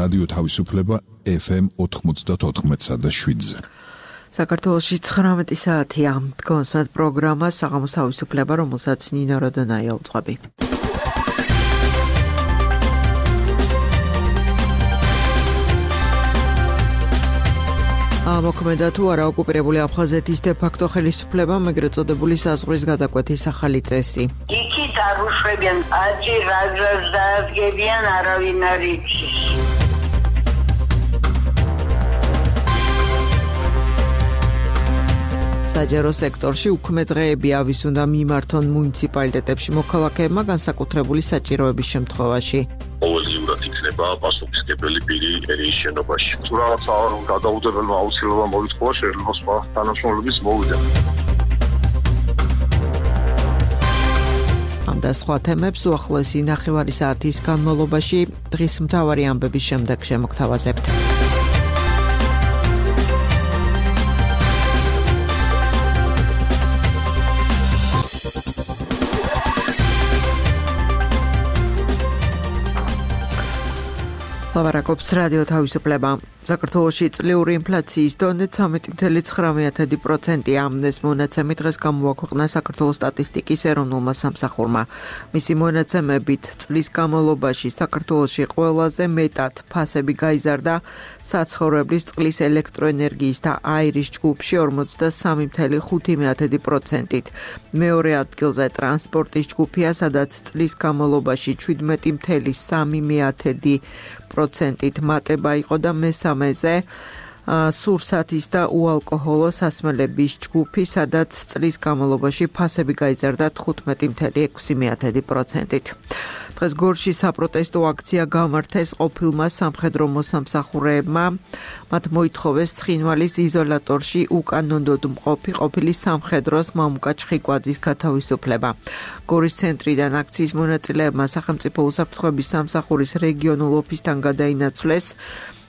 რადიო თავისუფლება FM 94.7-ზე. საქართველოში 19 საათია. დგომსმენთ პროგრამა საღამოს თავისუფლება, რომელსაც ნინო როდონაია უძღვები. მოქმედა თუ არა ოკუპირებული აფხაზეთის დე-ფაქტო ხელისუფლება, ეგრეთ წოდებული საზღვრის გადაკვეთის ახალი წესი. იქით არ უშვებიან, აწი რაზრას დაადგებიან, არავინ არ იცის. საჯარო სექტორში უქმე დღეები ავის უნდა მიმართონ მუნიციპალიტეტებში მოქალაქეებმა განსაკუთრებული საჭიროების შემთხვევაში. ყოველდღიურად იქნება პასუხისმგებელი პირი მერიის შენობაში. თუ რაღაცა გადაუდებელმა აუცილებლობა მოითხოვა, შეიძლება სხვა თანამშრომლების მოვიდა. ამ და სხვა თემებს უახლოესი ნახევარი საათის განმავლობაში დღის მთავარი ამბების შემდეგ შემოგთავაზებთ. ლავარაკობს რადიო თავისუფლება. საქართველოში წლიური ინფლაციის დონე 13.9%-ია. ეს მონაცემი დღეს გამოაქვეყნა საქართველოს სტატისტიკის ეროვნულმა სამსახურმა. მისი მონაცემებით წლის განმავლობაში საქართველოში ყველაზე მეტად ფასები გაიზარდა საცხოვრებლის, წყლის, ელექტროენერგიის და აირის ჯგუფში 43.5%-ით. მეორე ადგილზე ტრანსპორტის ჯგუფია, სადაც წლის განმავლობაში 17.3%-ით მატება იყო და მესამეზე სურსათის და უალკოჰოლო სასმელების ჯგუფი, სადაც წლის განმავლობაში ფასები გაიზარდა 15.6%-ით. დღეს გორში საპროტესტო აქცია გამართეს ყოფილმა სამხედრო მოსამსახურეებმა. მათ მოითხოვეს ცხინვალის იზოლატორში უკანონოდ მყოფი ყოფილი სამხედროს მამუკა ჩხიკვაძის გათავისუფლება. გორის ცენტრიდან აქციის მონაწილეებმა სახელმწიფო უსაფრთხოების სამსახურის რეგიონულ ოფისთან გადაინაცვლეს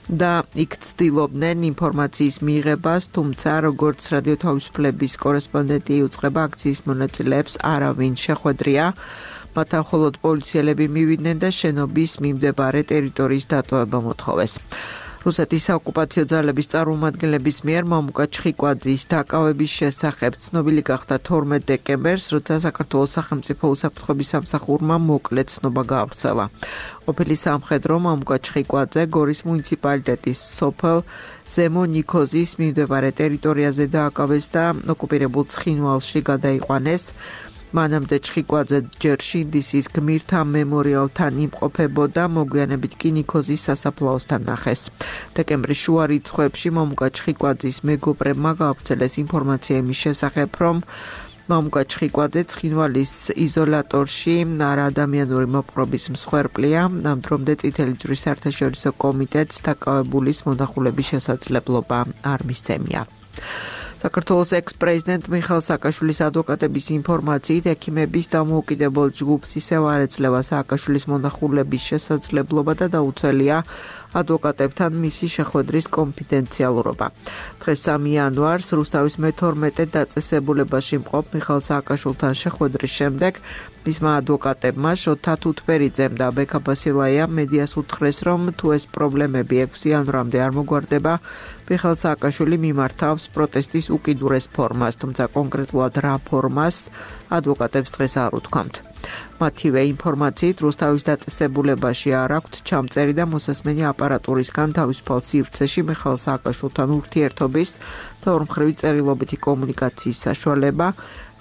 და იქ ცდილობდნენ ინფორმაციის მიღებას, თუმცა როგორც რადიო თავისუფლების კორესპონდენტი იუწყება, აქციის მონაწილეებს არავინ შეხვედრია. მათ მხოლოდ პოლიციელები მივიდნენ და შენობის მიმდებარე ტერიტორიის დატოვება მოთხოვეს. რუსეთის საოკუპაციო ძალების წარმომადგენლების მიერ მამუკა ჩხიკვაძის დაკავების შესახებ ცნობილი გახდა 12 დეკემბერს, როცა საქართველოს სახელმწიფო უსაფრთხოების სამსახურმა მოკლე ცნობა გაავრცელა. ყოფილი სამხედრო მამუკა ჩხიკვაძე გორის მუნიციპალიტეტის სოფელ ზემო ნიქოზის მიმდებარე ტერიტორიაზე დააკავეს და ოკუპირებულ ცხინვალში გადაიყვანეს. მანამდე ჩხიკვაძე ჯერ შინდისის გმირთა მემორიალთან იმყოფებოდა, მოგვიანებით კი ნიქოზის სასაფლაოსთან ნახეს. დეკემბრის შუა რიცხვებში მამუკა ჩხიკვაძის მეგობრებმა გაავრცელეს ინფორმაცია იმის შესახებ, რომ მამუკა ჩხიკვაძე ცხინვალის იზოლატორში არაადამიანური მოპყრობის მსხვერპლია. ამ დრომდე წითელი ჯვრის საერთაშორისო კომიტეტს დაკავებულის მონახულების შესაძლებლობა არ მისცემია. საქართველოს ექს-პრეზიდენტ მიხეილ სააკაშვილის ადვოკატების ინფორმაციით, ექიმების დამოუკიდებელ ჯგუფს ისევ არ ეძლევა სააკაშვილის მონახულების შესაძლებლობა და დაუცველია ადვოკატებთან მისი შეხვედრის კონფიდენციალურობა. დღეს 3 იანვარს რუსთავის მე-12 დაწესებულებაში მყოფ მიხეილ სააკაშვილთან შეხვედრის შემდეგ მისმა ადვოკატებმა შოთა თუთბერიძემ და ბექა ბასილაიამ მედიას უთხრეს, რომ თუ ეს პრობლემები 6 იანვრამდე არ მოგვარდება, მიხეილ სააკაშვილი მიმართავს პროტესტის უკიდურეს ფორმას, თუმცა კონკრეტულად რა ფორმას ადვოკატებს დღეს არ უთქვამთ. მათივე ინფორმაციით რუსთავის დაწესებულებაში არ აქვთ ჩამწერი და მოსასმენი აპარატურისგან თავისუფალ სივრცეში მიხეილ სააკაშვილთან ურთიერთობის და ორმხრივი წერილობითი კომუნიკაციის საშუალება.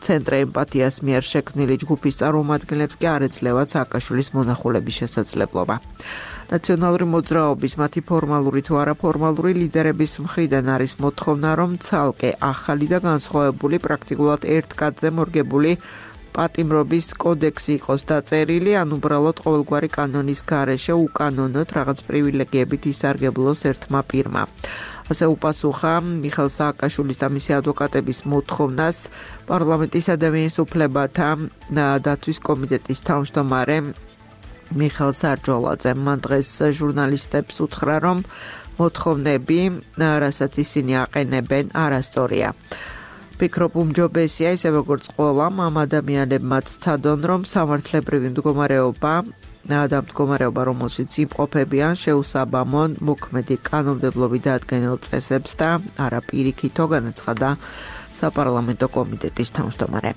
ცენტრ ემპათიას მიერ შექმნილი ჯგუფის წარმომადგენლებს კი არ ეძლევათ სააკაშვილის მონახულების შესაძლებლობა. ნაციონალური მოძრაობის მათი ფორმალური თუ არაფორმალური ლიდერების მხრიდან არის მოთხოვნა, რომ ცალკე ახალი და განსხვავებული პრაქტიკულად ერთ კაცზე მორგებული პატიმრობის კოდექსი იყოს დაწერილი, ან უბრალოდ ყოველგვარი კანონის გარეშე უკანონოდ რაღაც პრივილეგიებით ისარგებლოს ერთმა პირმა. ასე უპასუხა მიხეილ სააკაშვილის და მისი ადვოკატების მოთხოვნას პარლამენტის ადამიანის უფლებათა დაცვის კომიტეტის თავმჯდომარე მიხეილ სარჯოლაძემ. მან დღეს ჟურნალისტებს უთხრა, რომ მოთხოვნები, რასაც ისინი აყენებენ, არასწორია. ფიქრობ უმჯობესია, ისე როგორც ყველამ ამ ადამიანებმაც ცადონ, რომ სამართლებრივი მდგომარეობა დამდგომარეობა, რომელშიც იმყოფებიან, შეუსაბამონ მოქმედი კანონმდებლობით დადგენილ წესებს და არა პირიქითო, განაცხადა საპარლამენტო კომიტეტის თავმჯდომარე.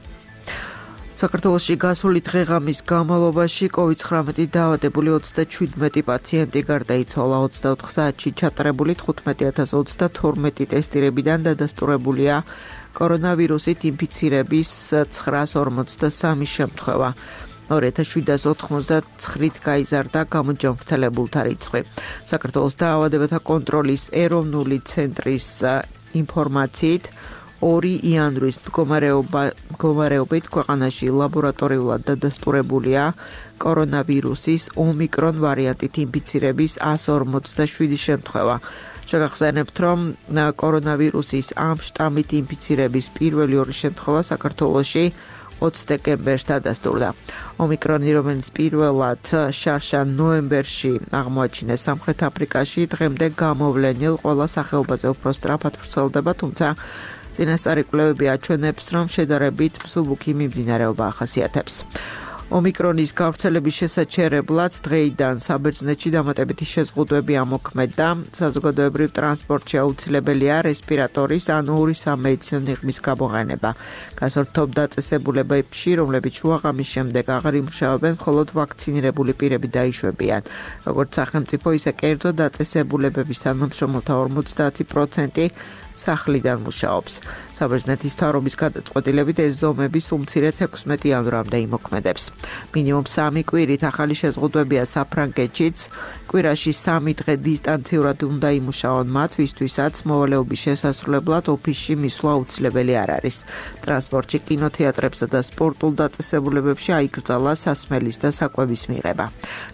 საქართველოში გასული დღეღამის განმავლობაში COVID-19 დაავადებული 37 პაციენტი გარდაიცვალა. 24 საათში ჩატარებული 15032 ტესტირებიდან დადასტურებულია კორონავირუსით ინფიცირების 943 შემთხვევა. 2799-ით გაიზარდა გამოჯანმრთელებულთა რიცხვი. საქართველოს დაავადებათა კონტროლის ეროვნული ცენტრის ინფორმაციით 2 იანვრის მდგომარეობით ქვეყანაში ლაბორატორიულად დადასტურებულია კორონავირუსის ომიკრონ ვარიანტით ინფიცირების 147 შემთხვევა. შეგახსენებთ, რომ კორონავირუსის ამ შტამით ინფიცირების პირველი 2 შემთხვევა საქართველოში 20 დეკემბერს დადასტურდა. ომიკრონი, რომელიც პირველად შარშან ნოემბერში აღმოაჩინეს სამხრეთ აფრიკაში, დღემდე გამოვლენილ ყველა სახეობაზე უფრო სწრაფად ვრცელდება, თუმცა წინასწარი კვლევები აჩვენებს, რომ შედარებით მსუბუქი მიმდინარეობა ახასიათებს. ომიკრონის გავრცელების შესაჩერებლად დღეიდან საბერძნეთში დამატებითი შეზღუდვები ამოქმედა. საზოგადოებრივ ტრანსპორტში აუცილებელია რესპირატორის ან 2 სამედიცინო ნიღბის გამოყენება. გასართობ დაწესებულებებში, რომლებიც შუაღამის შემდეგ აღარ იმუშავებენ, მხოლოდ ვაქცინირებული პირები დაიშვებიან. როგორც სახელმწიფო, ისე კერძო დაწესებულებების თანამშრომელთა 50% სახლიდან მუშაობს. საბერძნეთის მთავრობის გადაწყვეტილებით ეს ზომები სულ-მცირედ 16 იანვრამდე იმოქმედებს. მინიმუმ 3 კვირით ახალი შეზღუდვებია საფრანგეთშიც. კვირაში 3 დღე დისტანციურად უნდა იმუშაონ მათ, ვისთვისაც მოვალეობის შესასრულებლად ოფისში მისვლა აუცილებელი არ არის. ტრანსპორტში, კინოთეატრებსა და სპორტულ დაწესებულებებში აიკრძალა სასმელის და საკვების მიღება.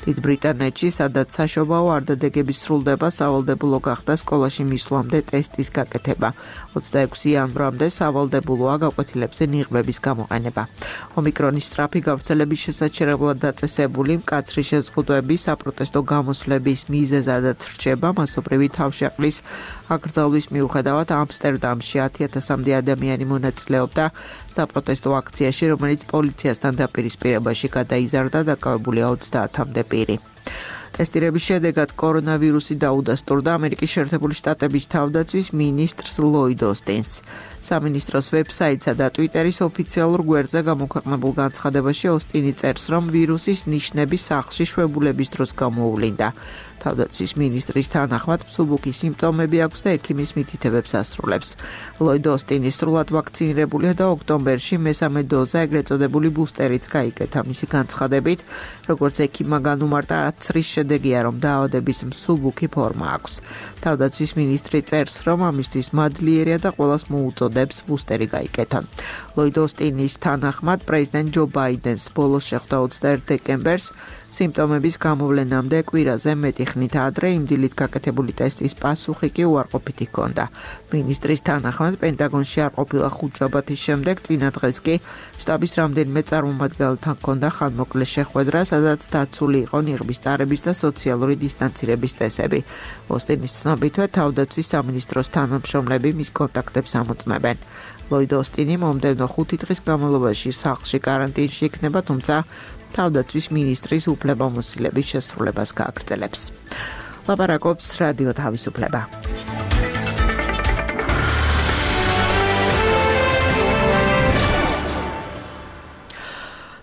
დიდ ბრიტანეთში, სადაც საშობაო არდადეგები სრულდება, სავალდებულო გახდა სკოლაში მისვლამდე ტესტის გაკეთება. 26 იანვრამდე სავალდებულოა გაკვეთილებზე ნიღბების გამოყენება. ომიკრონის სწრაფი გავრცელების შესაჩერებლად დაწესებული მკაცრი შეზღუდვები საპროტესტო გამოსვლების მიზეზადაც რჩება. მასობრივი თავშეყრის აკრძალვის მიუხედავად ამსტერდამში 10,000-მდე ადამიანი მონაწილეობდა საპროტესტო აქციაში, რომელიც პოლიციასთან დაპირისპირებაში გადაიზარდა, დაკავებულია 30-მდე პირი. ტესტირების შედეგად კორონავირუსი დაუდასტურდა ამერიკის შეერთებული შტატების თავდაცვის მინისტრს ლოიდ ოსტინს. სამინისტროს ვებსაიტსა და ტვიტერის ოფიციალურ გვერდზე გამოქვეყნებულ განცხადებაში ოსტინი წერს, რომ ვირუსის ნიშნები სახლში შვებულების დროს გამოუვლინდა. თავდაცვის მინისტრის თანახმად მსუბუქი სიმპტომები აქვს და ექიმის მითითებებს ასრულებს. ლოიდ ოსტინი სრულად ვაქცინირებულია და ოქტომბერში მესამე დოზა, ეგრეთ წოდებული ბუსტერიც გაიკეთა. მისი განცხადებით, როგორც ექიმმა განუმარტა, აცრის შედეგია, რომ დაავადების მსუბუქი ფორმა აქვს. თავდაცვის მინისტრი წერს, რომ ამისთვის მადლიერია და ყველას მოუწოდებს ბუსტერი გაიკეთონ. ლოიდ ოსტინის თანახმად, პრეზიდენტ ჯო ბაიდენს ბოლოს შეხვდა 21 დეკემბერს სიმპტომების გამოვლენამდე კვირაზე მეტი ხნით ადრე იმ დილით გაკეთებული ტესტის პასუხი კი უარყოფითი ჰქონდა. მინისტრის თანახმად, პენტაგონში არ ყოფილა 5 შაბათის შემდეგ, წინა დღეს კი შტაბის რამდენიმე წარმომადგენელთან ჰქონდა ხანმოკლე შეხვედრა, სადაც დაცული იყო ნიღბის ტარების და სოციალური დისტანცირების წესები. ოსტინის ცნობითვე, თავდაცვის სამინისტროს თანამშრომლები მის კონტაქტებს ამოწმებენ. ლოიდ ოსტინი მომდევნო 5 დღის განმავლობაში სახლში კარანტინში იქნება, თუმცა თავდაცვის მინისტრის უფლებამოსილების შესრულებას გააგრძელებს. ლაპარაკობს რადიო თავისუფლება.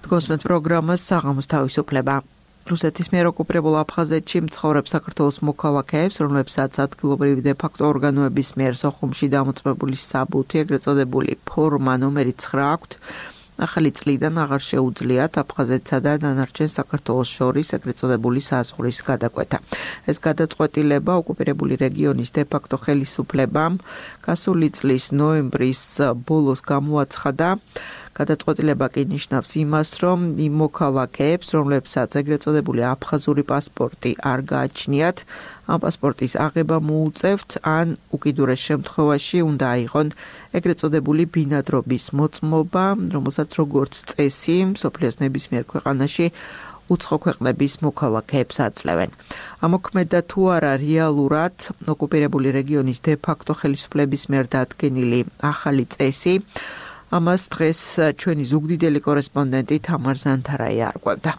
გოსმეთ პროგრამას საღამოს თავისუფლება. რუსეთის მიერ ოკუპირებულ აფხაზეთში მცხოვრებ საქართველოს მოქალაქეებს, რომლებსაც ადგილობრივი დე-ფაქტო ორგანოების მიერ სოხუმში დამოწმებული საბუთი, ეგრეთ წოდებული ფორმა ნომერი 9 აქვთ, ახალი წლიდან აღარ შეუძლიათ აფხაზეთსა და დანარჩენ საქართველოს შორის ეგრეთ წოდებული საზღვრის გადაკვეთა. ეს გადაწყვეტილება ოკუპირებული რეგიონის დე-ფაქტო ხელისუფლებამ გასული წლის ნოემბრის ბოლოს გამოაცხადა. გადაწყვეტილება კი ნიშნავს იმას, რომ იმ მოქალაქეებს, რომლებსაც ეგრეთ წოდებული აფხაზური პასპორტი არ გააჩნიათ, ამ პასპორტის აღება მოუწევთ, ან უკიდურეს შემთხვევაში უნდა აიღონ ეგრეთ წოდებული ბინადრობის მოწმობა, რომელსაც როგორც წესი მსოფლიოს ნებისმიერ ქვეყანაში უცხო ქვეყნების მოქალაქეებს აძლევენ. ამოქმედა თუ არა რეალურად ოკუპირებული რეგიონის დე-ფაქტო ხელისუფლების მიერ დადგენილი ახალი წესი, ამას დღეს ჩვენი ზუგდიდელი კორესპონდენტი თამარ ზანთარაი არკვევდა.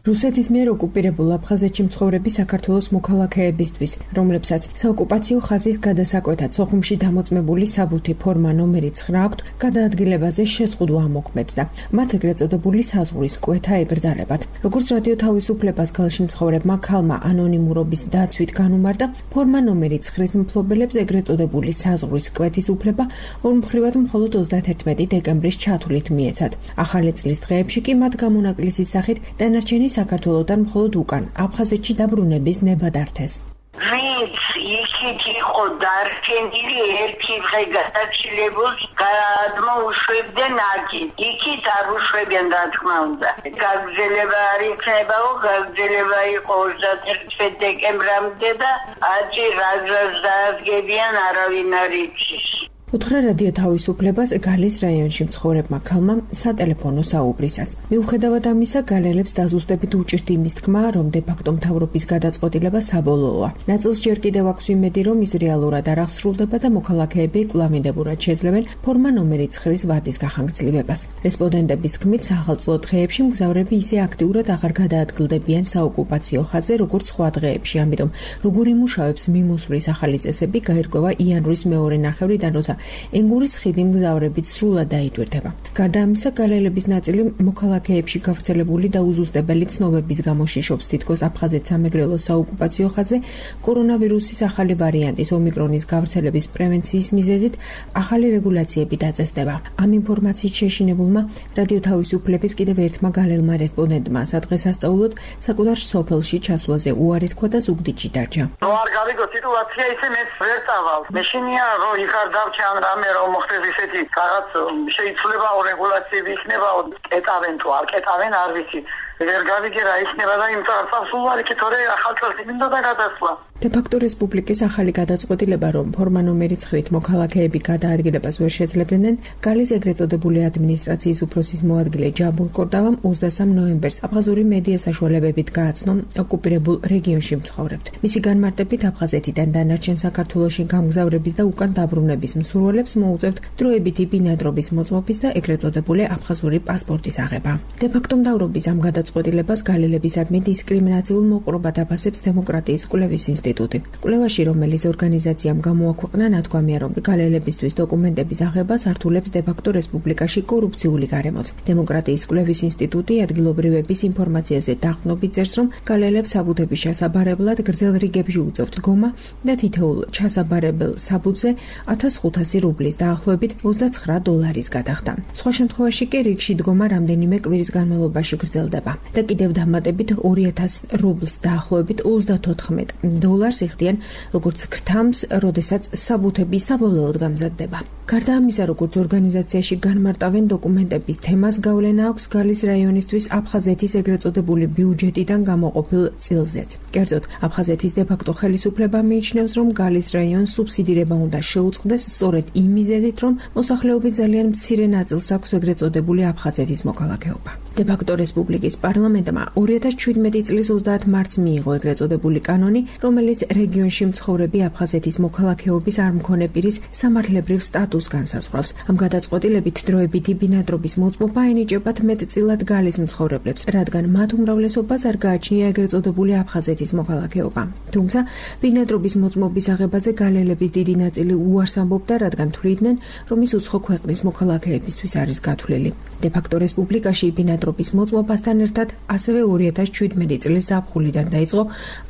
რუსეთის მიერ ოკუპირებულ აფხაზეთში მცხოვრები საქართველოს მოქალაქეებისთვის, რომლებსაც საოკუპაციო ხაზის გადასაკვეთად სოხუმში დამოწმებული საბუთი ფორმა ნომერი 9 აქვთ, გადაადგილებაზე შეზღუდვა ამოქმედდა. მათ ეგრეთ წოდებული საზღვრის კვეთა ეკრძალებათ. როგორც რადიო თავისუფლებას გალში მცხოვრებმა ქალმა ანონიმურობის დაცვით განუმარტა, ფორმა ნომერი 9-ის მფლობელებს ეგრეთ წოდებული საზღვრის კვეთის უფლება ორმხრივად მხოლოდ 31 დეკემბრის ჩათვლით მიეცათ. ახალი წლის დღეებში კი მათ გამონაკლისის სახით დანარჩენი საქართველოდან მხოლოდ უკან აფხაზეთში დაბრუნების ნება დართეს. ვინც იქით იყო დარჩენილი ერთი დღე გადაჭილებულს გადმოუშვებდნენ აქეთ. იქით არ უშვებიან რა თქმა უნდა. გაგრძელება არ იქნებაო, გაგრძელება იყო 31 დეკემბრამდე და აჭი რაზრას დაადგებიან არავინ არ იცის. უთხრა რადიო თავისუფლებას გალის რაიონში მცხოვრებმა ქალმა სატელეფონო საუბრისას. მიუხედავად ამისა, გალელებს დაზუსტებით უჭირთ იმის თქმა, რომ დე-ფაქტო მთავრობის გადაწყვეტილება საბოლოოა. ნაწილს ჯერ კიდევ აქვს იმედი, რომ ის რეალურად არ აღსრულდება და მოქალაქეები კვლავინდებურად შეძლებენ ფორმა ნომერი 9-ის ვადის გახანგრძლივებას. რესპონდენტების თქმით, სახელმწიფო დღეებში მგზავრები ისე აქტიურად აღარ გადაადგილდებიან საოკუპაციო ხაზზე, როგორც სხვა დღეებში. ამიტომ, როგორ იმუშავებს მიმოსვლის ახალი წესები, გაირკვევა იანვრის მეორე ნახევრიდან, როცა ენგურის ხიდი მგზავრებით სრულად დაიტვირთება. გარდა ამისა, გალელების ნაწილი მოქალაქეებში გავრცელებული და უზუსტებელი ცნობების გამო შიშობს თითქოს აფხაზეთ სამეგრელო საოკუპაციო ხაზზე კორონავირუსის ახალი ვარიანტის ომიკრონის გავრცელების პრევენციის მიზეზით ახალი რეგულაციები დაწესდება. ამ ინფორმაციით შეშინებულმა რადიო თავისუფლების კიდევ ერთმა გალელმა რესპონდენტმა სადღესასწაულოდ საკუთარ სოფელში ჩასვლაზე უარი თქვა და ზუგდიდში დარჩა. რო არ გავიგო სიტუაცია ისე მეც ვერ წავალ. მეშინია რო იქარ დავჩა ან რამე რომ მოხდეს ისეთი რაღაც შეიცვლება რეგულაციები იქნება კეტავენ თუ არ კეტავენ არ ვიცი ვერ გავიგე რა იქნება და იმ წარსულს უარი კი თორე ახალ წელს მინდა და გადასვლა. დე-ფაქტო რესპუბლიკის ახალი გადაწყვეტილება, რომ ფორმა ნომერი 9-ით მოქალაქეები გადაადგილებას ვერ შეძლებდნენ, გალის ეგრეთ წოდებული ადმინისტრაციის უფროსის მოადგილე ჯაბურ კორდავამ 23 ნოემბერს აფხაზური მედია საშუალებებით გააცნო ოკუპირებულ რეგიონში მცხოვრებთ. მისი განმარტებით აფხაზეთიდან დანარჩენ საქართველოში გამგზავრების და უკან დაბრუნების მსურველებს მოუწევთ დროებითი ბინადრობის მოწმობის და ეგრეთ წოდებული აფხაზური პასპორტის აღება. დე-ფაქტო მთავრობის ამ გადაწყვეტილებას გალელებისადმი დისკრიმინაციულ მოყრობად აფასებს დემოკრატიის კვლევის ინსტიტუტი. კვლევაში, რომელიც ორგანიზაციამ გამოაქვეყნა, ნათქვამია, რომ გალელებისთვის დოკუმენტების აღება სართულებს დე-ფაქტო რესპუბლიკაში კორუფციული გარემოც. დემოკრატიის კვლევის ინსტიტუტი ადგილობრივების ინფორმაციაზე დაყრდნობით წერს, რომ გალელებს საბუთების ჩასაბარებლად გრძელ რიგებში უწევთ დგომა და თითოეულ ჩასაბარებელ საბუთზე 1500 რუბლის დაახლოებით $29 გადახდა. სხვა შემთხვევაში კი რიგში დგომა რამდენიმე კვირის განმავლობაში გრძელდება და კიდევ დამატებით 2000 რუბლს დაახლოებით $34 იხდიან, როგორც ქრთამს, როდესაც საბუთები საბოლოოდ გამზადდება. გარდა ამისა, როგორც ორგანიზაციაში განმარტავენ დოკუმენტების თემას გავლენა აქვს გალის რაიონისთვის აფხაზეთის ეგრეთ წოდებული ბიუჯეტიდან გამოყოფილ წილზეც. კერძოდ, აფხაზეთის დე-ფაქტო ხელისუფლება მიიჩნევს, რომ გალის რაიონს სუბსიდირება უნდა შეუწყდეს სწორედ იმ მიზეზით, რომ მოსახლეობის ძალიან მცირე ნაწილს აქვს ეგრეთ წოდებული აფხაზეთის მოქალაქეობა. დე-ფაქტო რესპუბლიკის პარლამენტმა 2017 წლის 30 მარტს მიიღო ეგრეთ წოდებული კანონი, რომელიც რეგიონში მცხოვრები აფხაზეთის მოქალაქეობის არ მქონე პირის სამართლებრივ სტატუსს განსაზღვრავს. ამ გადაწყვეტილებით დროებითი ბინადრობის მოწმობა ენიჭებათ მეტწილად გალის მცხოვრებლებს, რადგან მათ უმრავლესობას არ გააჩნია ეგრეთ წოდებული აფხაზეთის მოქალაქეობა. თუმცა ბინადრობის მოწმობის აღებაზე გალელების დიდი ნაწილი უარს ამბობდა, რადგან თვლიდნენ, რომ ის უცხო ქვეყნის მოქალაქეებისთვის არის გათვლილი. დე-ფაქტო რესპუბლიკაში ბინადრობის მოწმობასთან ერთად ასევე 2017 წლის ზაფხულიდან დაიწყო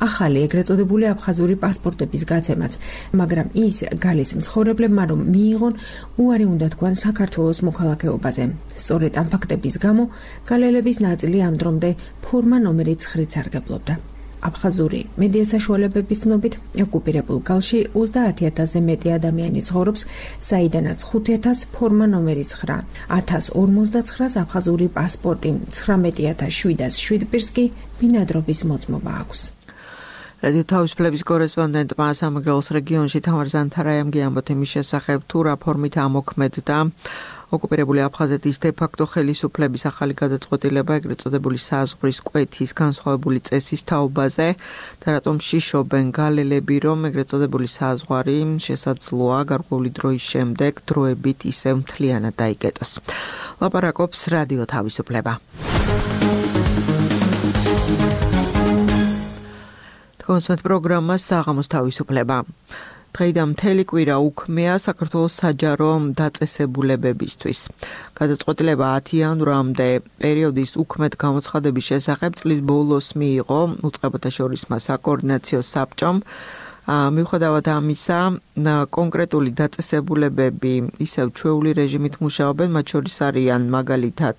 ახალი ეგრეთ წოდებული აფხაზური პასპორტების გაცემაც, მაგრამ ის გალის მცხოვრებლებმა რომ მიიღონ, უარი უნდა თქვან საქართველოს მოქალაქეობაზე. სწორედ ამ ფაქტების გამო გალელების ნაწილი ამ დრომდე ფორმა ნომერი 9-ით სარგებლობდა. აფხაზური მედია საშუალებების ცნობით, ოკუპირებულ გალში 30000-ზე მეტი ადამიანი ცხოვრობს, საიდანაც 5000 ფორმა ნომერი 9, 1059-ს აფხაზური პასპორტი, 19707 პირს კი ბინადრობის მოწმობა აქვს. რადიო თავისუფლების კორესპონდენტმა სამეგრელოს რეგიონში თამარ ზანთარაიამ გიამბოთ იმის შესახებ, თუ რა ფორმით ამოქმედდა ოკუპირებული აფხაზეთის დე-ფაქტო ხელისუფლების ახალი გადაწყვეტილება ეგრეთ წოდებული საზღვრის კვეთის განსხვავებული წესის თაობაზე და რატომ შიშობენ გალელები, რომ ეგრეთ წოდებული საზღვარი შესაძლოა გარკვეული დროის შემდეგ დროებით ისევ მთლიანად დაიკეტოს. ლაპარაკობს რადიო თავისუფლება. კონსვენთ პროგრამა საღამოს თავისუფლება. დღეიდან მთელი კვირა უქმეა საქართველოს საჯარო დაწესებულებებისთვის. გადაწყვეტილება 10 იანვრამდე პერიოდის უქმედ გამოცხადების შესახებ წლის ბოლოს მიიღო უწყებათა შორის საკოორდინაციო საბჭომ. მიუხედავად ამისა, კონკრეტული დაწესებულებები ისევ ჩვეული რეჟიმით მუშაობენ, მათ შორის არიან მაგალითად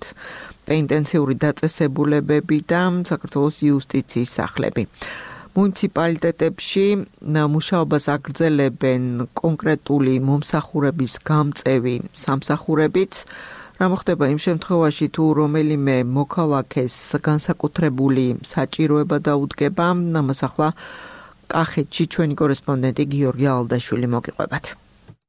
პენიტენციური დაწესებულებები და საქართველოს იუსტიციის სახლები. მუნიციპალიტეტებში მუშაობას აგრძელებენ კონკრეტული მომსახურების გამწევი სამსახურებიც. რა მოხდება იმ შემთხვევაში, თუ რომელიმე მოქალაქეს განსაკუთრებული საჭიროება დაუდგება, ამას ახლა კახეთში ჩვენი კორესპონდენტი გიორგი ალდაშვილი მოგიყვებათ.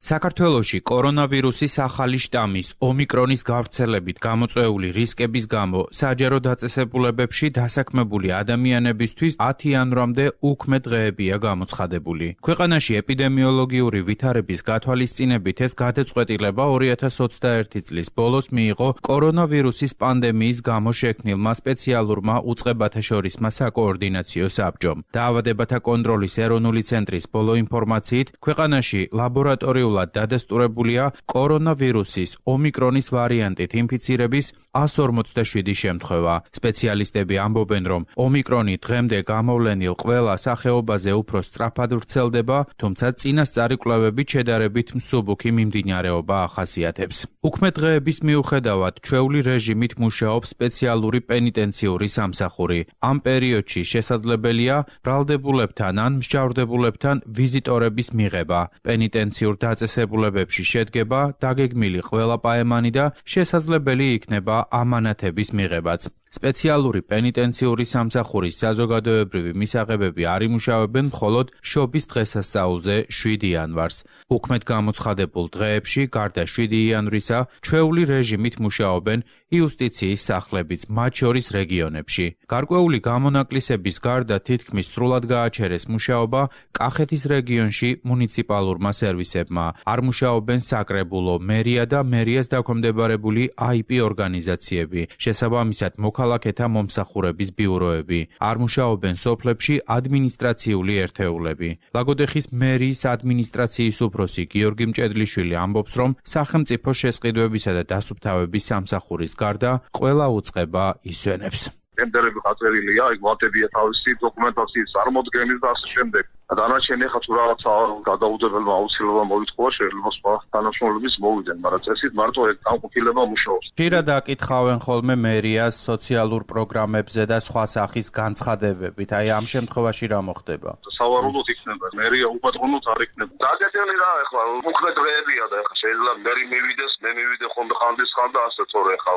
საქართველოში კორონავირუსის ახალი შტამის ომიკრონის გავრცელებით გამოწვეული რისკების გამო საჯარო დაწესებულებებში დასაქმებული ადამიანებისთვის 10 იანვრამდე უქმე დღეებია გამოცხადებული. ქვეყანაში ეპიდემიოლოგიური ვითარების გათვალისწინებით ეს გადაწყვეტილება 2021 წლის ბოლოს მიიღო კორონავირუსის პანდემიის გამო შექმნილმა სპეციალურმა უწყებათა შორისმა საკოორდინაციო საბჭომ. დაავადებათა კონტროლის ეროვნული ცენტრის ბოლო ინფორმაციით, ქვეყანაში ლაბორატორიულ დადასტურებულია კორონავირუსის ომიკრონის ვარიანტით ინფიცირების 147 შემთხვევა. სპეციალისტები ამბობენ, რომ ომიკრონი დღემდე გამოვლენილ ყველა სახეობაზე უფრო სწრაფად ვრცელდება, თუმცა წინასწარი კვლევებით შედარებით მსუბუქი მიმდინარეობა ახასიათებს. უქმე დღეების მიუხედავად ჩვეული რეჟიმით მუშაობს სპეციალური პენიტენციური სამსახური. ამ პერიოდში შესაძლებელია ბრალდებულებთან ან მსჯავრდებულებთან ვიზიტორების მიღება. პენიტენციურ დაწესებულებებში შედგება დაგეგმილი ყველა პაემანი და შესაძლებელი იქნება ამანათების მიღებაც. სპეციალური პენიტენციური სამსახურის საზოგადოებრივი მისაღებები არ იმუშავებენ მხოლოდ შობის დღესასწაულზე 7 იანვარს. უქმედ გამოცხადებულ დღეებში, გარდა 7 იანვრისა, ჩვეული რეჟიმით მუშაობენ იუსტიციის სახლებიც, მათ შორის რეგიონებში. გარკვეული გამონაკლისების გარდა თითქმის სრულად გააჩერეს მუშაობა კახეთის რეგიონში მუნიციპალურმა სერვისებმა. არ მუშაობენ საკრებულო, მერია და მერიას დაქვემდებარებული IP ორგანიზაციები. შესაბამისად, მოქალაქეთა მომსახურების ბიუროები. არ მუშაობენ სოფლებში ადმინისტრაციული ერთეულები. ლაგოდეხის მერიის ადმინისტრაციის უფროსი გიორგი მჭედლიშვილი ამბობს, რომ სახელმწიფო შესყიდვებისა და დასუფთავების სამსახურის გარდა ყველა უწყება ისვენებს. ტენდერები გაწერილია, იქ ვატებია თავისი დოკუმენტაციის წარმოდგენის და ასე შემდეგ. დანარჩენი ხა თუ რაღაცა გადაუდებელმა აუცილებლად მოითხოვა, შეიძლება სხვა თანამშრომლების მოვიდნენ, მაგრამ წესით მარტო ეგ განყოფილება მუშაობს. ხშირად აკითხავენ ხოლმე მერიას სოციალურ პროგრამებზე და სხვა სახის განცხადებებით. აი ამ შემთხვევაში რა მოხდება? სავარაუდოდ იქნება. მერია უპატრონოდ არ იქნება. დაგეგმილი რა ეხლა უქმე დღეებია და ეხლა შეიძლება მერი მივიდეს, მე მივიდე ხოლმე ხან და ასე თორე ეხლა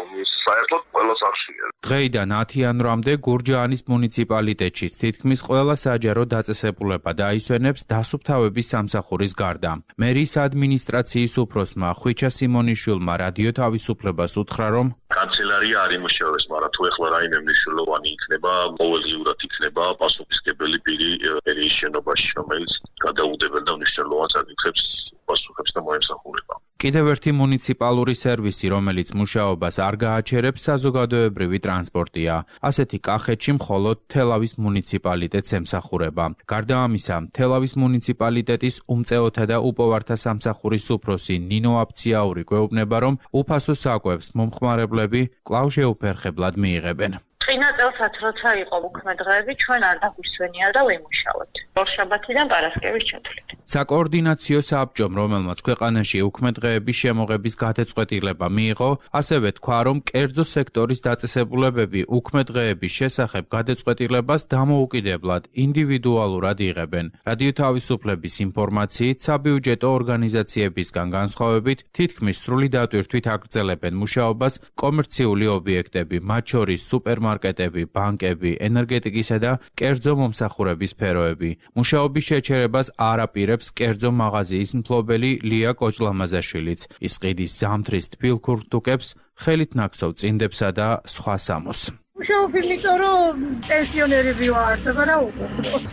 საერთოდ ყველა სახშია. დღეიდან 10 იანვრამდე გურჯაანის მუნიციპალიტეტში თითქმის ყველა საჯარო დაწესებულება დაისვენებს დასუფთავების სამსახურის გარდა. მერიის ადმინისტრაციის უფროსმა ხვიჩა სიმონიშვილმა რადიო თავისუფლებას უთხრა, რომ კანცელარია არ იმუშავებს, მაგრამ თუ ეხლა რაიმე მნიშვნელოვანი იქნება, ყოველდღიურად იქნება პასუხისმგებელი პირი მერიის შენობაში, რომელიც გადაუდებელ და მნიშვნელოვან საკითხებს პასუხებს და მოემსახურება. კიდევ ერთი მუნიციპალური სერვისი, რომელიც მუშაობას არ გააჩერებს, საზოგადოებრივი ტრანსპორტია. ასეთი კახეთში მხოლოდ თელავის მუნიციპალიტეტს ემსახურება. გარდა ამისა, თელავის მუნიციპალიტეტის უმწეოთა და უპოვართა სამსახურის უფროსი ნინო აფციაური გვეუბნება, რომ უფასო საკვებს მომხმარებლები კვლავ შეუფერხებლად მიიღებენ. წინა წელსაც როცა იყო უქმე დღეები, ჩვენ არ დაგვისვენია და ვიმუშავოთ. ორშაბათიდან პარასკევის ჩათვლით. საკოორდინაციო საბჭომ, რომელმაც ქვეყანაში უქმე დღეების შემოღების გადაწყვეტილება მიიღო, ასევე თქვა, რომ კერძო სექტორის დაწესებულებები უქმე დღეების შესახებ გადაწყვეტილებას დამოუკიდებლად ინდივიდუალურად იღებენ. რადიო თავისუფლების ინფორმაციით, საბიუჯეტო ორგანიზაციებისგან განსხვავებით, თითქმის სრული დატვირთვით აგრძელებენ მუშაობას კომერციული ობიექტები, მათ შორის სუპერმარკეტები, ბანკები, ენერგეტიკისა და კერძო მომსახურების სფეროები. მუშაობის შეჩერებას არ აპირებს კერძო მაღაზიის მფლობელი ლია კოჭლამაზაშვილიც. ის ყიდის ზამთრის თბილ ქურთუკებს, ხელით ნაქსოვ წინდებსა და სხვა სამოს. მუშაობ იმიტომ, რომ პენსიონერები ვართ, რა უკვე.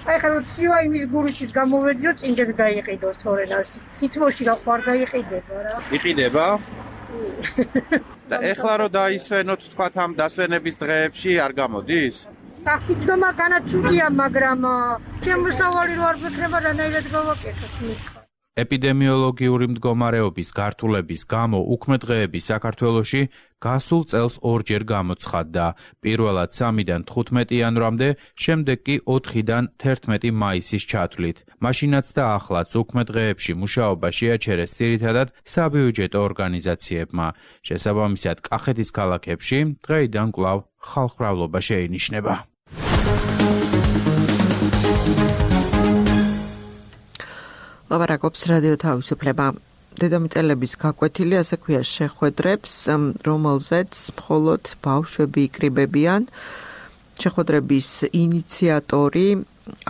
აი ხა რომ ცივა იმის გურიშით გამოვედიო, წინდები დაიყიდოს თორენას. სიტმოში რა ხარ დაიყიდება რა. იყიდება? და ეხლა რომ დაისვენოთ თქვათ ამ დასვენების დღეებში არ გამოდის? გასიძმა განაცუდია, მაგრამ შემოსავალი რო არ ვექნება რანაირად გავაკეთოთ მითხრა. ეპიდემიოლოგიური მდგომარეობის გართულების გამო უქმე დღეები საქართველოში გასულ წელს ორჯერ გამოცხადდა. პირველად 3-დან 15 იანვრამდე, შემდეგ კი 4-დან 11 მაისის ჩათვლით. მაშინაც და ახლაც უქმე დღეებში მუშაობა შეაჩერეს ძირითადად საბიუჯეტო ორგანიზაციებმა. შესაბამისად, კახეთის ქალაქებში დღეიდან კვლავ ხალხმრავლობა შეინიშნება. ლაპარაკობს რადიო თავისუფლება. დედამიწელების გაკვეთილი, ასე ქვია, შეხვედრებს, რომელზეც მხოლოდ ბავშვები იკრიბებიან. შეხვედრების ინიციატორი,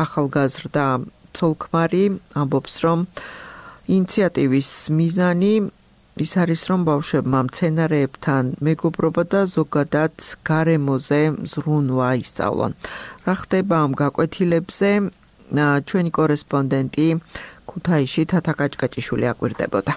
ახალგაზრდა ცოლ-ქმარი ამბობს, რომ ინიციატივის მიზანი ის არის, რომ ბავშვებმა მცენარეებთან მეგობრობა და ზოგადად გარემოზე ზრუნვა ისწავლონ. რა ხდება ამ გაკვეთილებზე? ჩვენი კორესპონდენტი ქუთაისში თათა კაჭკაჭიშვილი აკვირდებოდა.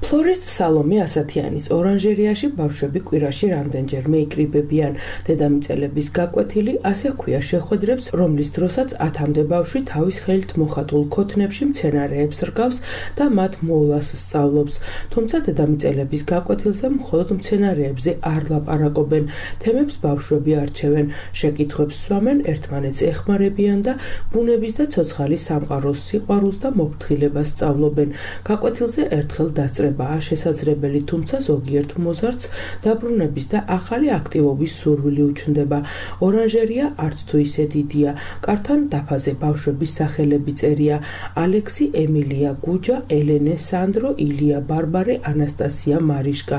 ფლორისტ სალომე ასათიანის ორანჟერიაში ბავშვები კვირაში რამდენჯერმე იკრიბებიან. დედამიწელების გაკვეთილი ასე ქვია შეხვედრებს, რომლის დროსაც 10-მდე ბავშვი თავის ხელით მოხატულ ქოთნებში მცენარეებს რკავს და მათ მოვლას სწავლობს. თუმცა დედამიწელების გაკვეთილზე მხოლოდ მცენარეებზე არ ლაპარაკობენ. თემებს ბავშვები არჩევენ, შეკითხვებს სვამენ, ერთმანეთს ეხმარებიან და ბუნების და ცოცხალის სამყაროს სიყვარულს და მოფრთხილებას სწავლობენ. გაკვეთილზე ერთხელ დასწრებაა შესაძლებელი, თუმცა ზოგიერთ მოზარდს დაბრუნების და ახალი აქტივობის სურვილი უჩნდება. ორანჟერია არც თუ ისე დიდია. კართან დაფაზე ბავშვების სახელები წერია: ალექსი, ემილია, გუჯა, ელენე, სანდრო, ილია, ბარბარე, ანასტასია, მარიშკა.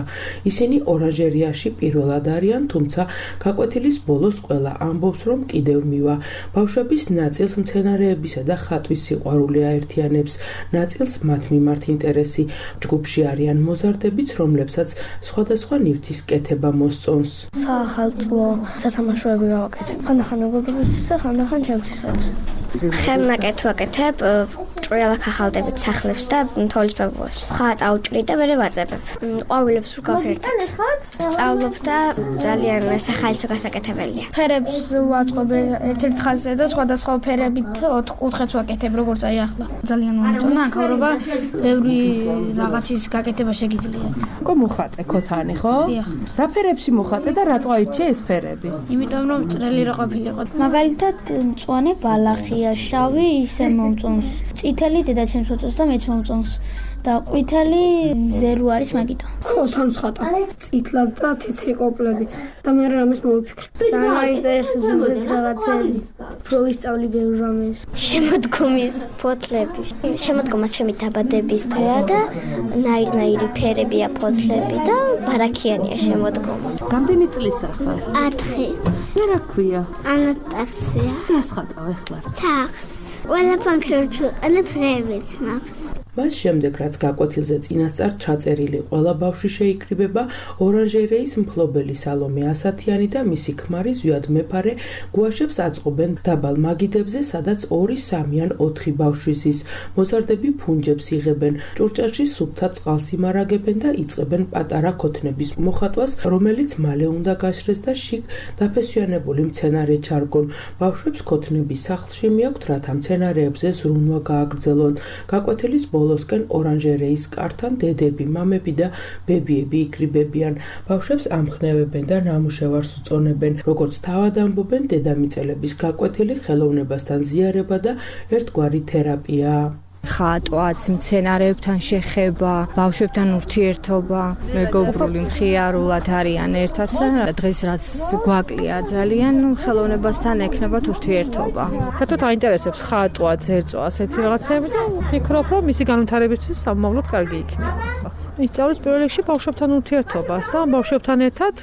ისინი ორანჟერიაში პირველად არიან, თუმცა გაკვეთილის ბოლოს ყველა ამბობს, რომ კიდევ მივა. ბავშვების ნაწილს მცენარეებისა და ხატვის სიყვარული აერთიანებს, ნაწილს მათ მიმართ ინტერესი. ჯგუფში არიან მოზარდებიც, რომლებსაც სხვადასხვა ნივთის კეთება მოსწონს. საახალწლო სათამაშოები ვაკეთებ. ხანდახან მეგობრებისთვის და ხანდახან ჩემთვისაც. ხელნაკეთ ვაკეთებ, ჭრიალაკ ახალდებით სახლებს და თოვლის ბაბუებს. ხატ აუჭრი და მერე ვაწებებ. ყვავილებს ვგავს ერთად. სწავლობ და ძალიან სახალხო გასაკეთებელია. ფერებს ვაწყობ ერთ-ერთ ხაზზე და სხვადასხვა ფერებით 4 კუთხეც ვაკეთებ, როგორც აი ახლა. ძალიან მომწონა აქაურობა, ბევრი რაღაცის გაკეთება შეგიძლია. კო მოხატე ქოთანი, ხო? დიახ. რა ფერებში მოხატე და რატო აირჩიე ეს ფერები? იმიტომ რომ წრელი რა ყოფილიყო. მაგალითად, მწვანე ბალახია, შავი ისე მომწონს. წითელი დედაჩემს მოწონს და მეც მომწონს. და ყვითელი ზერუ არის მაგითო. ქოთანს ხატა. წითლად და თეთრი კოპლებით. და მე რამეს მოვიფიქრე. ძალიან მაინტერესებს ეს რაღაცები. რო ვისწავლი ბევრ რამეს. შემოდგომის ფოთლები. შემოდგომას ჩემი დაბადების დღეა და ნაირ-ნაირი ფერებია ფოთლები და ბარაქიანია შემოდგომა. რამდენი წლისა ხარ? 4. რა ქვია? ანასტასია. რას ხატავ ახლა? თახს. ყველა ფანქრებს ვიყენებ ფრევებს მაქვს. მას შემდეგ, რაც გაკვეთილზე წინასწარ ჩაწერილი ყველა ბავშვი შეიკრიბება, ორანჟერეის მფლობელი სალომე ასათიანი და მისი ქმარი ზვიად მეფარე გუაშებს აწყობენ დაბალ მაგიდებზე, სადაც 2, 3 ან 4 ბავშვი ზის. მოზარდები ფუნჯებს იღებენ, ჭურჭელში სუფთა წყალს იმარაგებენ და იწყებენ პატარა ქოთნების მოხატვას, რომელიც მალე უნდა გაშრეს და შიგ დაფესვიანებული მცენარე ჩარგონ. ბავშვებს ქოთნების სახლში მიაქვთ, რათა მცენარეებზე ზრუნვა გააგრძელონ. გაკვეთილის ბოლოსკენ ორანჟერეის კართან დედები, მამები და ბებიები იკრიბებიან. ბავშვებს ამხნევებენ და ნამუშევარს უწონებენ. როგორც თავად ამბობენ, დედამიწელების გაკვეთილი ხელოვნებასთან ზიარება და ერთგვარი თერაპია. ხატვაც, მცენარეებთან შეხება, ბავშვებთან ურთიერთობა, მეგობრული მხიარულად არიან ერთად და დღეს რაც გვაკლია ძალიან, ხელოვნებასთან ექნებათ ურთიერთობა. საერთოდ აინტერესებს ხატვა, ზერწვა, ასეთი რაღაცები და ვფიქრობ, რომ მისი განვითარებისთვის სამომავლოდ კარგი იქნება. ისწავლის პირველ რიგში ბავშვებთან ურთიერთობას და ბავშვებთან ერთად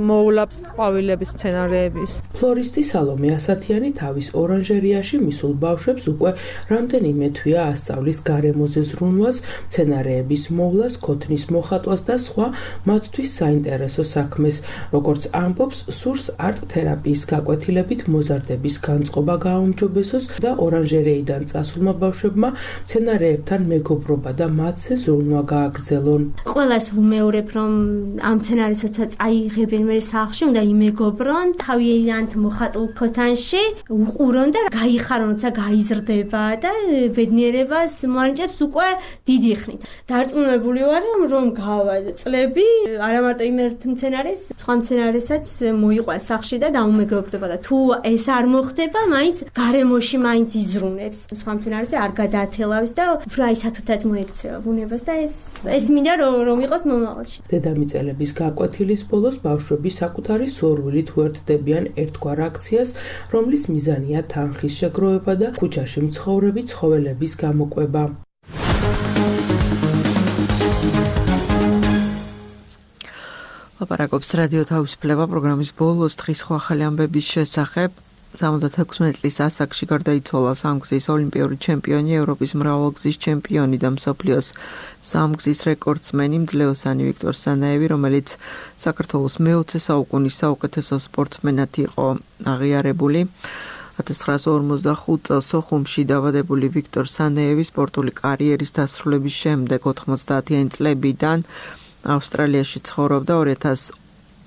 მოვლა ყვავილების, მცენარეების. ფლორისტი სალომე ასათიანი თავის ორანჟერიაში მისულ ბავშვებს უკვე რამდენიმე თვეა ასწავლის გარემოზე ზრუნვას, მცენარეების მოვლას, ქოთნის მოხატვას და სხვა მათთვის საინტერესო საქმეს. როგორც ამბობს, სურს არტ-თერაპიის გაკვეთილებით მოზარდების განწყობა გააუმჯობესოს და ორანჟერეიდან წასულმა ბავშვებმა მცენარეებთან მეგობრობა და მათზე ზრუნვა გააგრძელონ. ყველას ვუმეორებ, რომ ამ სცენარისაცაც აიღებენ მე სახლში, უნდა იმეგობრონ, თავიანთ მოხატულ ქოთანში უყურონ და გაიხარონ, როცა გაიზრდება და ბედნიერებას მოანიჭებს უკვე დიდი ხნით. დარწმუნებული ვარ, რომ გავა წლები, არა მარტო იმ ერთ სცენარის, სხვა სცენარისაც მოიყვანს სახლში და დაუმეგობრდება და თუ ეს არ მოხდება, მაინც გარემოში მაინც იზრუნებს. სხვა სცენარისზე არ გადაათელავს და უფრო აი სათუთად მოექცევა ბუნებას და ეს მინდა რომ იყოს მომავალში. დედამიწელების გაკვეთილის ბოლოს ბავშვები საკუთარი სურვილით უერთდებიან ერთგვარ აქციას, რომლის მიზანია თანხის შეგროვება და ქუჩაში მცხოვრები ცხოველების გამოკვება. ლაპარაკობს რადიო თავისუფლება პროგრამის ბოლოს დღის სხვა ახალი ამბების შესახებ. 76 წლის ასაკში გარდაიცვალა სამგზის ოლიმპიური ჩემპიონი, ევროპის მრავალგზის ჩემპიონი და მსოფლიოს სამგზის რეკორდსმენი მძლეოსანი ვიქტორ სანაევი, რომელიც საქართველოს მე-20 საუკუნის საუკეთესო სპორტსმენად იყო აღიარებული. 1945 წელს სოხუმში დაბადებული ვიქტორ სანაევი სპორტული კარიერის დასრულების შემდეგ 90-იანი წლებიდან ავსტრალიაში ცხოვრობდა.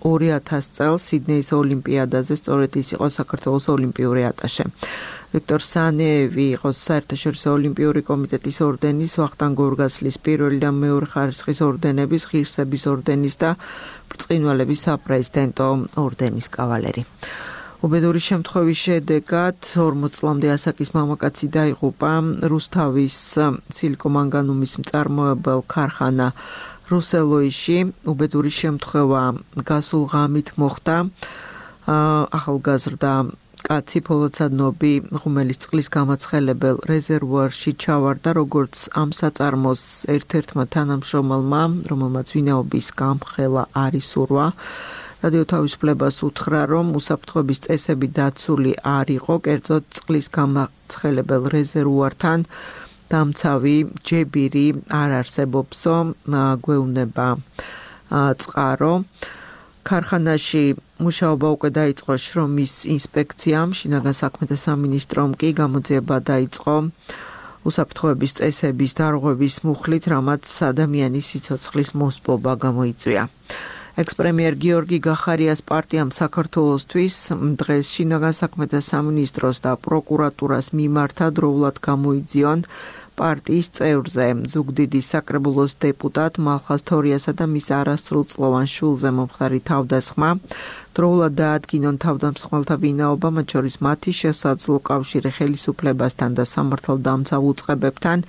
2000 წელს სიდნეის ოლიმპიადაზე სწორედ ის იყო საქართველოს ოლიმპიური ატაშე. ვიქტორ სანაევი იყო საერთაშორისო ოლიმპიური კომიტეტის ორდენის, ვახტანგ გორგასლის პირველი და მეორე ხარისხის ორდენების, ღირსების ორდენის და ბრწყინვალების საპრეზიდენტო ორდენის კავალერი. უბედური შემთხვევის შედეგად 40 წლამდე ასაკის მამაკაცი დაიღუპა. რუსთავის სილიკომანგანუმის მწარმოებელ ქარხანა რუსელოიში. უბედური შემთხვევა გასულ ღამით მოხდა. ახალგაზრდა კაცი ფოლოცადნობი ღუმელის წყლის გამაცხელებელ რეზერვუარში ჩავარდა, როგორც ამ საწარმოს ერთ-ერთმა თანამშრომელმა, რომელმაც ვინაობის გამხელა არ ისურვა. რადიო თავისუფლებას უთხრა, რომ უსაფრთხოების წესები დაცული არ იყო, კერძოდ წყლის გამაცხელებელ რეზერვუართან დამცავი ჯებირი არ არსებობსო, გვეუბნება წყარო. ქარხანაში მუშაობა უკვე დაიწყო შრომის ინსპექციამ, შინაგან საქმეთა სამინისტრომ კი გამოძიება დაიწყო უსაფრთხოების წესების დარღვევის მუხლით, რამაც ადამიანის სიცოცხლის მოსპობა გამოიწვია. ექს-პრემიერ გიორგი გახარიას პარტიამ საქართველოსთვის დღეს შინაგან საქმეთა სამინისტროს და პროკურატურას მიმართა დროულად გამოიძიონ პარტიის წევრზე, ზუგდიდის საკრებულოს დეპუტატ მალხაზ თორიასა და მის არასრულწლოვან შვილზე მომხდარი თავდასხმა. დროულად დაადგინონ თავდამსხმელთა ვინაობა, მათ შორის მათი შესაძლო კავშირი ხელისუფლებასთან და სამართალდამცავ უწყებებთან.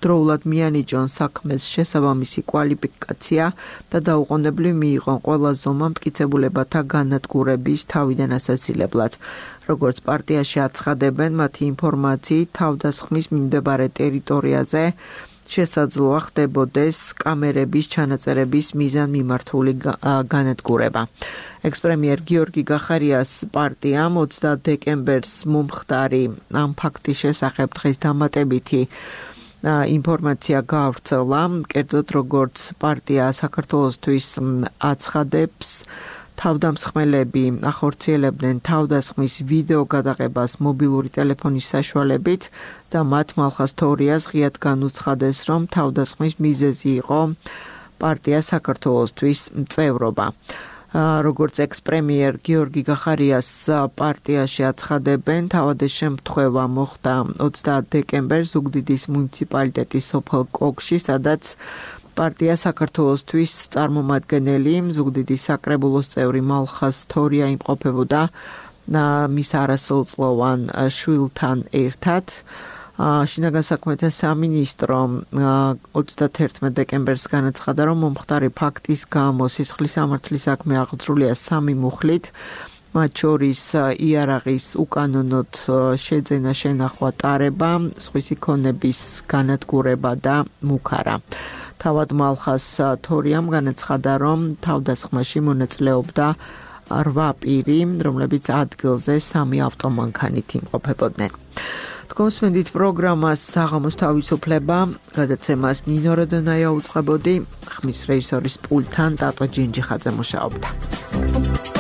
დროულად მიანიჭონ საქმეს შესაბამისი კვალიფიკაცია და დაუყოვნებლივ მიიღონ ყველა ზომა მტკიცებულებათა განადგურების თავიდან ასაცილებლად. როგორც პარტიაში აცხადებენ, მათი ინფორმაციით თავდასხმის მიმდებარე ტერიტორიაზე შესაძლოა ხდებოდეს კამერების ჩანაწერების მიზანმიმართული განადგურება. ექს-პრემიერ გიორგი გახარიას პარტიამ 30 დეკემბერს მომხდარი ამ ფაქტის შესახებ დღეს დამატებითი ინფორმაცია გაავრცელა, კერძოდ როგორც პარტია საქართველოსთვის აცხადებს, თავდამსხმელები ახორციელებდნენ თავდასხმის ვიდეო გადაღებას მობილური ტელეფონის საშუალებით და მათ მალხაზ თორიას ღიად განუცხადეს, რომ თავდასხმის მიზეზი იყო პარტია საქართველოსთვის წევრობა. როგორც ექს-პრემიერ გიორგი გახარიას პარტიაში აცხადებენ, თავადეს შემთხვევა მოხდა 30 დეკემბერს ზუგდიდის მუნიციპალიტეტის სოფელ კოგში, სადაც პარტია საქართველოსთვის წარმომადგენელი ზუგდიდის საკრებულოს წევრი მალხაზ თორია იმყოფებოდა მის არასრულწლოვან შვილთან ერთად. შინაგან საქმეთა სამინისტრომ 31 დეკემბერს განაცხადა, რომ მომხდარი ფაქტის გამო სისხლის სამართლის საქმე აღძრულია 3 მუხლით, მათ შორის იარაღის უკანონოდ შეძენა, შენახვა, ტარება, სხვისი ქონების განადგურება და მუქარა. თავად მალხაზ თორიამ განაცხადა, რომ თავდასხმაში მონაწილეობდა 8 პირი, რომლებიც ადგილზე 3 ავტომანქანით იმყოფებოდნენ. თქვენსმენდით პროგრამას საღამოს თავისუფლება, გადაცემას ნინო როდონაია უძღვებოდი, ხმის რეჟისორის პულტთან ტატო ჯინჯიხაძე მუშაობდა.